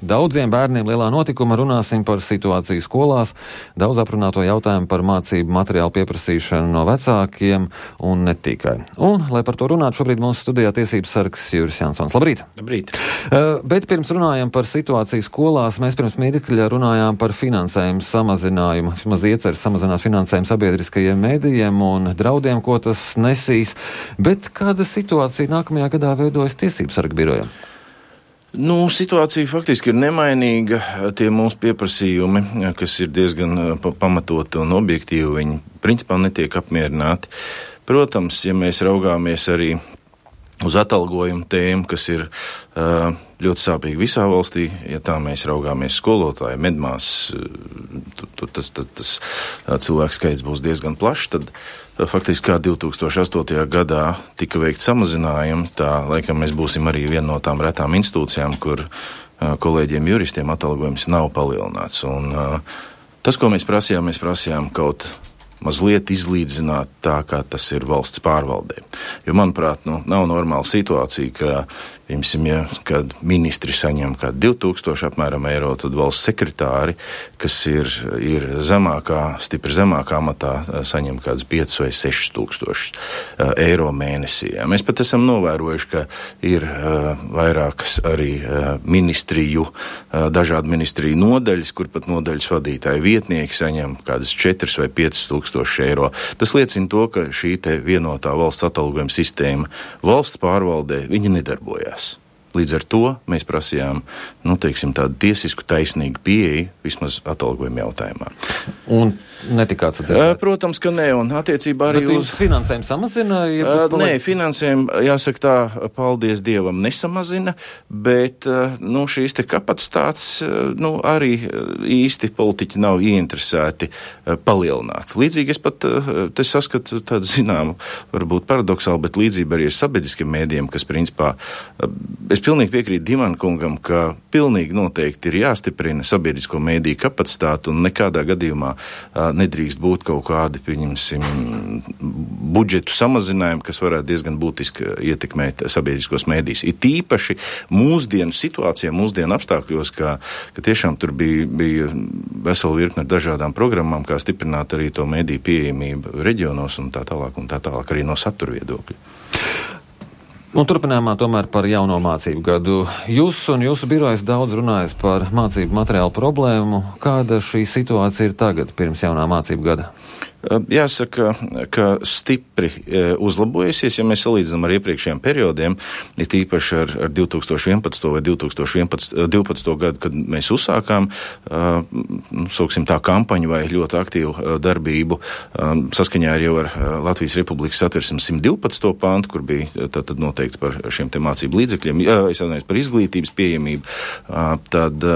daudziem bērniem lielā notikuma runāsim par situāciju skolās, daudz aprunāto jautājumu par mācību materiālu pieprasīšanu no vecākiem un ne tikai. Un, lai par to runātu, šobrīd mūsu studijā tiesības sargs Juris Jansons. Labrīt! Labrīt! Bet pirms runājam par situāciju skolās, mēs pirms mirkļa runājām par finansējumu samazinājumu, vismaz ieceres samazināt finansējumu sabiedriskajiem mēdījiem un draudiem, ko tas nesīs. Bet kāda situācija nākamajā gadā veidojas tiesības sarga birojam? Situācija faktiski ir nemainīga. Tie mūsu pieprasījumi, kas ir diezgan pamatoti un objektīvi, viņi principā netiek apmierināti. Protams, ja mēs raugāmies arī uz atalgojumu tēmu, kas ir ļoti sāpīgi visā valstī, ja tā mēs raugāmies skolotāji, medmās, tas cilvēku skaits būs diezgan plašs, tad faktiski kā 2008. gadā tika veikt samazinājumi, tā laikam mēs būsim arī viena no tām retām institūcijām, kur kolēģiem juristiem atalgojums nav palielināts. Un tas, ko mēs prasījām kaut mazliet izlīdzināt tā, kā tas ir valsts pārvaldē. Jo, manuprāt, nav normāla situācija, ka, kad ministri saņem kā 2000 apmēram eiro, tad valsts sekretāri, kas ir stipri zemākā amatā, saņem kāds 5 vai 6 tūkstoši eiro mēnesī. Mēs pat esam novērojuši, ka ir vairākas arī dažādu ministriju nodaļas, kur pat nodaļas vadītāji vietnieki saņem kādas 4 vai 5 tūkstoši eiro. Tas liecina to, ka šī te vienotā valsts atalgojuma sistēma valsts pārvaldē, viņa nedarbojās. Līdz ar to mēs prasījām, tādu tiesisku taisnīgu pieeju vismaz atalgojuma jautājumā. Un netika atsadzirdēt? Protams, ka nē, un attiecībā arī uz finansējumu samazina? Nē, finansējumu, jāsaka tā, paldies Dievam, nesamazina, bet, šīs te kapacitātes, arī īsti politiķi nav ieinteresēti palielināt. Līdzīgi es pat te saskatu tādu zināmu, varbūt paradoksāli, bet līdzība arī ar sabiedriskiem mēdījiem, kas principā, es pilnīgi piekrītu Dimana kungam, ka pilnīgi noteikti ir jāstiprina sabiedrisko mēdīju kapacitāti un nekādā gadījumā nedrīkst būt kaut kādi, budžetu samazinājumi, kas varētu diezgan būtiski ietekmēt sabiedriskos mēdījus. Ir tīpaši mūsdienu situācijā, mūsdienu apstākļos, ka tiešām tur bija vesela virkne dažādām programmām, kā stiprināt arī to mēdīju pieejamību reģionos un tā tālāk arī no satura viedokļa. Un turpinājumā tomēr par jauno mācību gadu. Jūs un jūsu birojas daudz runājat par mācību materiālu problēmu. Kāda šī situācija ir tagad, pirms jaunā mācību gada? Jāsaka, ka stipri uzlabojusies, ja mēs salīdzinām ar iepriekšējiem periodiem, it īpaši ar 2011. vai 2012. gadu, kad mēs uzsākām, sauksim tā kampaņu vai ļoti aktīvu darbību, saskaņā jau ar Latvijas Republikas Satversmes 112. pantu, kur bija tad noteikts par šiem te mācību līdzekļiem, par izglītības pieejamību, tad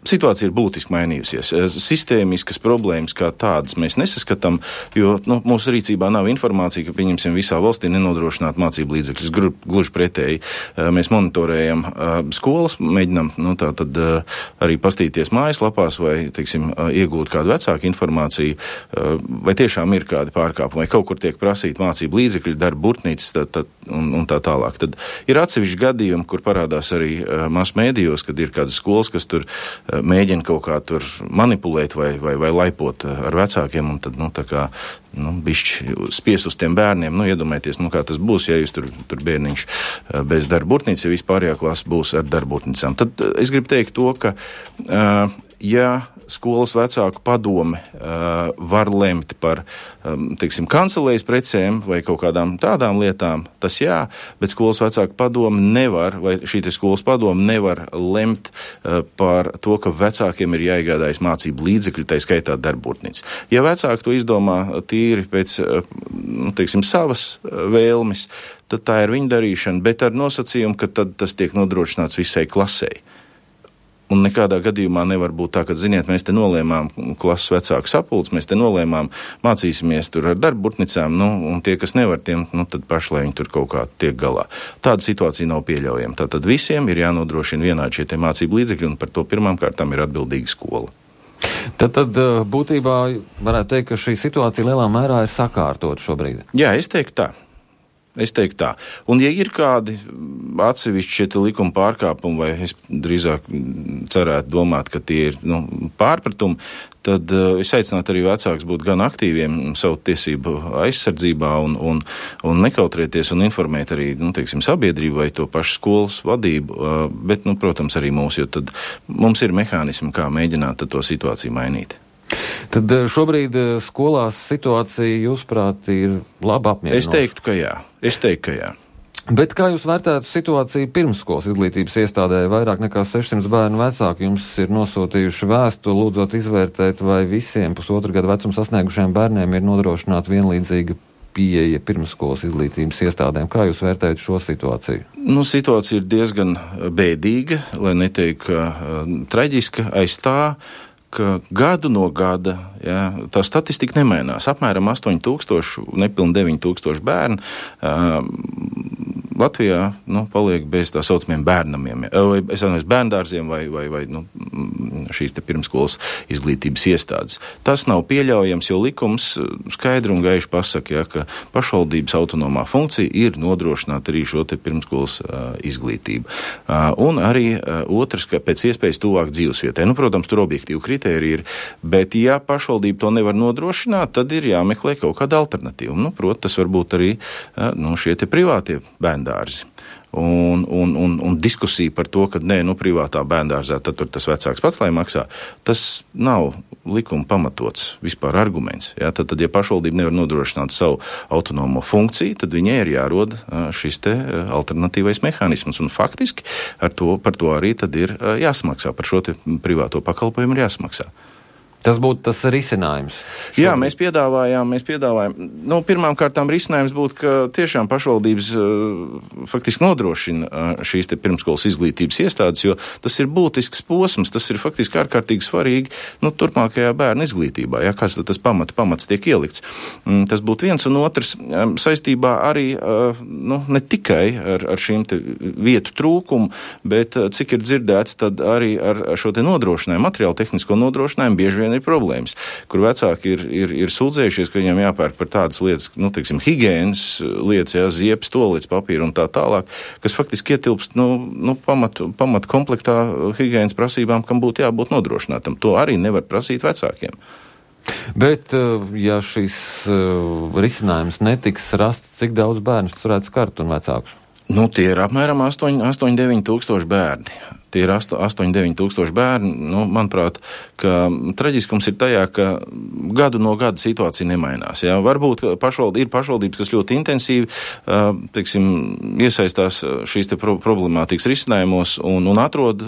situācija ir būtiski mainījusies. Sistēmiskas problēmas kā tādas mēs nesaskatām, jo mūsu rīcībā nav informācija, ka, pieņemsim, visā valstī nenodrošināt mācību līdzekļus. Gluži pretēji, mēs monitorējam skolas, mēģinam arī pastīties mājaslapās vai, iegūt kādu vecāku informāciju, vai tiešām ir kādi pārkāpumi, vai kaut kur tiek prasīt mācību līdzekļi, darba burtnīcas un tā tālāk. Tad ir atsevišķi gadījumi, kur parādās arī masu mēdījos, kad ir kādas skolas, kas tur mēģina kaut kā tur manipulēt vai laipot ar vecākiem un tad, bišķi spies uz tiem bērniem, iedomājieties, kā tas būs, ja jūs tur bērniņš bez darba burtnīcas, ja vispārējā klasa būs ar darba burtnīcām. Tad es gribu teikt to, ka, ja skolas vecāku padome var lemt par, kancelējas precēm vai kaut kādām tādām lietām, tas jā, bet skolas vecāku padome nevar, vai šī te skolas padome nevar lemt par to, ka vecākiem ir jāiegādājas mācību līdzekļi, tai skaitā darburtnīca. Ja vecāki to izdomā tīri pēc, savas vēlmes, tad tā ir viņa darīšana, bet ar nosacījumu, ka tad tas tiek nodrošināts visai klasei. Un nekādā gadījumā nevar būt tā, ka, ziniet, mēs te nolēmām klases vecāku sapulcs, mēs te nolēmām mācīsimies tur ar darburtnicām, un tie, kas nevar, tiem, tad paši, lai viņi tur kaut kā tiek galā. Tāda situācija nav pieļaujama. Tātad visiem ir jānodrošina vienādi šie te mācību līdzekļi, un par to pirmām kārtām ir atbildīga skola. Tad būtībā varētu teikt, ka šī situācija lielā mērā ir sakārtot šobrīd. Jā, es teiktu tā. Es teiktu tā. Un, ja ir kādi atsevišķi šie likuma pārkāpumi, vai es drīzāk cerētu domāt, ka tie ir pārpratumi, tad es aicinātu arī vecākus būt gan aktīviem savu tiesību aizsardzībā un nekautrēties un informēt arī, sabiedrību vai to pašu skolas vadību, bet, protams, arī mūs, jo tad mums ir mehānismi, kā mēģināt to situāciju mainīt. Tad šobrīd skolās situācija, jūsuprāt, ir labi apmierinoša? Es teiktu, ka jā. Bet kā jūs vērtētu situāciju pirmsskolas izglītības iestādē? Vairāk nekā 600 bērnu vecāki jums ir nosūtījuši vēstuli, lūdzot izvērtēt, vai visiem 1,5 gadu vecuma sasniegušiem bērniem ir nodrošināta vienlīdzīga pieeja pirmsskolas izglītības iestādēm. Kā jūs vērtējat šo situāciju? Situācija ir diezgan bēdīga, lai neteiktu traģiska, aiz tā, ka gadu no gada tā statistika nemainās. Apmēram 8,000, nepilni 9,000 bērnu Latvijā paliek bez tā saucamiem bērnamiem, bērndārziem vai šīs te pirmskolas izglītības iestādes. Tas nav pieļaujams, jo likums skaidri un gaiši pasaka, ka pašvaldības autonomā funkcija ir nodrošināt arī šo te pirmskolas izglītību. Un arī otrs, ka pēc iespējas tuvāk dzīvesvietai. Protams, tur objektīvi kritēriji ir, bet ja pašvaldība to nevar nodrošināt, tad ir jāmeklē kaut kāda alternatīva. Protams, tas var būt arī šie te privātie bērndārzi. Un diskusija par to, ka privātā bērndārzā, tad tur tas vecāks pats, lai maksā, tas nav likuma pamatots vispār arguments. Tad, ja pašvaldība nevar nodrošināt savu autonomo funkciju, tad viņai ir jārod šis te alternatīvais mehānisms. Un faktiski par to arī tad ir jāsmaksā, par šo te privāto pakalpojumu ir jāsmaksā. Tas būtu tas risinājums. Šobrīd. Jā, mēs piedāvājām. Pirmām kārtām risinājums būtu, ka tiešām pašvaldības faktiski nodrošina šīs te pirmskolas izglītības iestādes, jo tas ir būtisks posms, tas ir faktiski ārkārtīgi svarīgi turpmākajā bērnu izglītībā, kāds tas pamats tiek ielikts. Tas būtu viens, un otrs saistībā arī ne tikai ar šīm te vietu trūkumu, bet cik ir dzirdēts, tad arī ar šo te nodrošinājumu, materiālu tehnisko nodrošinājumu bieži vien ir problēmas, kur vecāki ir sūdzējušies, ka viņam jāpērk par tādas lietas, higienas lietas, ziepes, tolītes, papīra un tā tālāk, kas faktiski ietilpst, pamat komplektā higienas prasībām, kam būtu jābūt nodrošinātam. To arī nevar prasīt vecākiem. Bet, ja šis risinājums netiks rasts, cik daudz bērnus tas varētu skart un vecākus? Tie ir apmēram 8-9 tūkstoši bērni. Tie ir 8-9 tūkstoši bērni. Manuprāt, ka traģiskums ir tajā, ka gadu no gada situācija nemainās. Varbūt ir pašvaldības, kas ļoti intensīvi, iesaistās šīs te problemātikas risinājumos un atrod,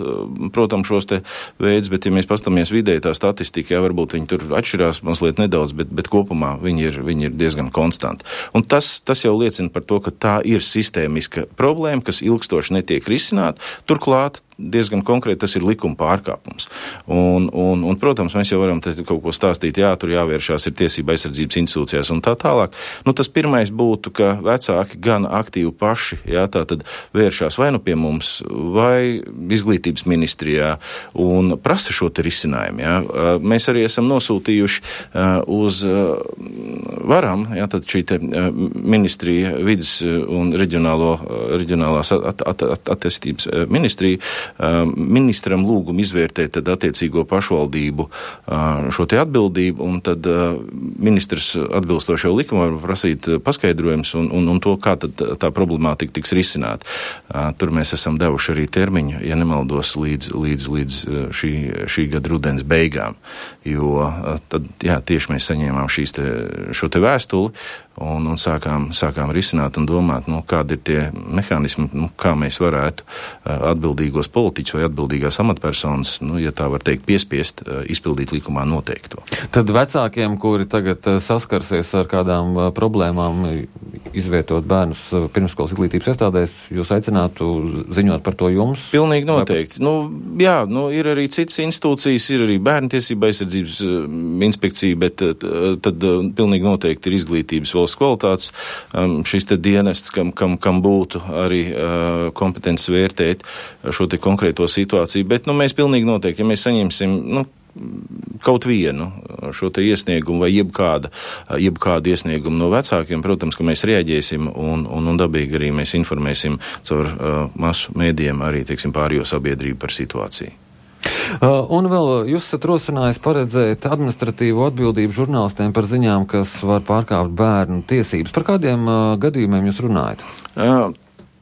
protams, šos te veidus, bet ja mēs pastamies vidēji tā statistika, varbūt viņi tur atšķirās mazliet nedaudz, bet kopumā viņi ir diezgan konstanti. Un tas jau liecina par to, ka tā ir sistēmiska problēma, kas ilgstoši netiek risināta. Turklāt diezgan konkrēti tas ir likuma pārkāpums. Un, protams, mēs jau varam kaut ko stāstīt, tur jāvēršās ir tiesība aizsardzības institūcijās un tā tālāk. Tas pirmais būtu, ka vecāki gan aktīvi paši, tātad vēršās vai pie mums, vai izglītības ministrijā un prasa šo te risinājumu. Mēs arī esam nosūtījuši uz varam, tad šī te ministrija, vidas un reģionālās attīstības ministrija, ministram lūgumu izvērtēt tad attiecīgo pašvaldību šo te atbildību, un tad ministrs atbilstošo likumu var prasīt paskaidrojums un to, kā tad tā problemātika tiks risināta. Tur mēs esam devuši arī termiņu, ja nemaldos, līdz šī gada rudens beigām, jo tad, tieši mēs saņēmām šo te vēstuli un sākām risināt un domāt, kādi ir tie mehānismi, kā mēs varētu atbildīgos politiķus vai atbildīgās amatpersonas, ja tā var teikt, piespiest izpildīt likumā noteikto. Tad vecākiem, kuri tagad saskarsies ar kādām problēmām, izvietot bērnus pirmskolas izglītības iestādēs, jūs aicinātu ziņot par to jums? Pilnīgi noteikti. Ir arī citas institūcijas, ir arī bērntiesība aizsardzības inspekcija, bet tad pilnīgi noteikti ir izglītības valsts kvalitātes šis te dienests, kam būtu arī kompetences vērtēt šo te konkrēto situāciju, bet mēs pilnīgi noteikti, ja mēs saņemsim kaut vienu šo te iesniegumu vai jebkādu iesniegumu no vecākiem, protams, ka mēs rēģēsim un dabīgi arī mēs informēsim caur masu mēdījiem arī, teiksim, pārējo sabiedrību par situāciju. Un vēl jūs esat rosinājis paredzēt administratīvo atbildību žurnālistiem par ziņām, kas var pārkāpt bērnu tiesības. Par kādiem gadījumiem jūs runājat?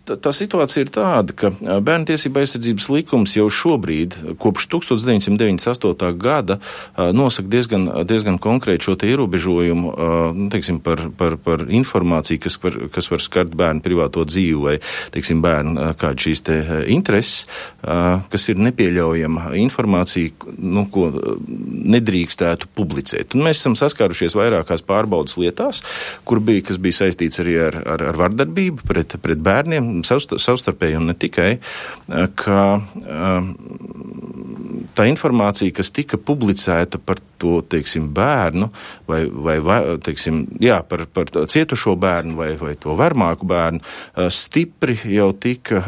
Tā situācija ir tāda, ka Bērnu tiesība aizsardzības likums jau šobrīd, kopš 1998. gada, nosaka diezgan konkrēti šo te ierobežojumu, teiksim, par informāciju, kas var skart bērnu privāto dzīvi vai, teiksim, bērnu kādu šīs te intereses, kas ir nepieļaujama informācija, ko nedrīkstētu publicēt. Un mēs esam saskārušies vairākās pārbaudas lietās, kas bija saistīts arī ar vardarbību pret bērniem, savstarpēji un ne tikai, ka tā informācija, kas tika publicēta par to, teiksim, bērnu vai teiksim, par cietušo bērnu vai to varmāku bērnu, stipri jau tika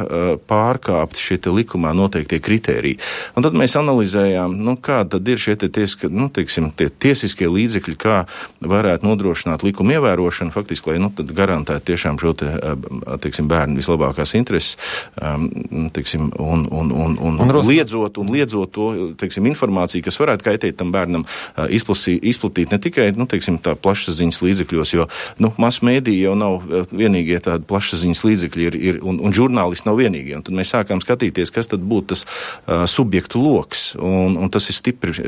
pārkāpti šie te likumā noteiktie kritēriji. Un tad mēs analizējām, kāda tad ir šie tie tiesiskie līdzekļi, kā varētu nodrošināt likuma ievērošanu, faktiski, lai tad garantētu tiešām šo te, teiksim, bērnu vislabākās intereses, teiksim, un liedzot to, teiksim, informāciju, kas varētu kaitēt tam bērnam, izplatīt ne tikai, teiksim, tā plašsaziņas līdzekļos, jo, masu mēdīji jau nav vienīgie tādi plašsaziņas līdzekļi un žurnālisti nav vienīgie. Un tad mēs sākām skatīties, kas tad būtu tas subjektu loks, un tas ir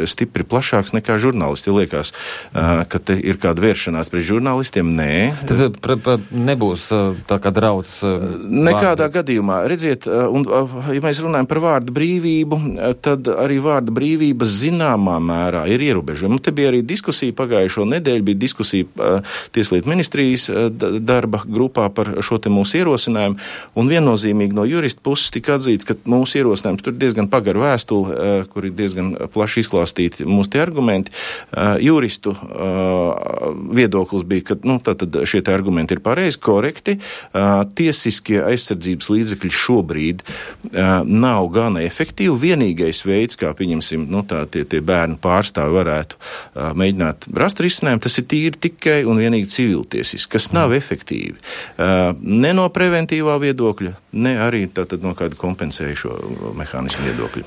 stipri plašāks nekā žurnālisti. Jo liekas, ka te ir kāda vēršanās pret žurnālistiem. Nē. Tad nebūs tā kā drauds? Nekādā gadījumā. Redziet, un ja mēs runājam par vārda brīvību, tad arī vārda brīvība zināmā mērā ir ierobežojama. Te bija arī diskusija pagājušo nedēļu, bija diskusija Tieslietu ministrijas darba grupā par šo te mūsu ierosinājumu, un viennozīmīgi no jurista puses tika atzīts, ka mūsu ierosinājums tur diezgan pagara vēstule, kur ir diezgan plaši izklāstīti mūsu tie argumenti. Juristu viedoklis bija, ka tātad šie te argumenti ir pareizi, korekti. Tiesiskie aizsardzības līdzekļi šobrīd nav gana efektīvi. Vienīgais veids, kā pieņemsim, tie bērnu pārstāvi varētu mēģināt rast risinājumu, tas ir tīri tikai un vienīgi civiltiesiski, kas nav efektīvi. Ne no preventīvā viedokļa, ne arī tātad no kāda kompensējušo mehānismu viedokļa.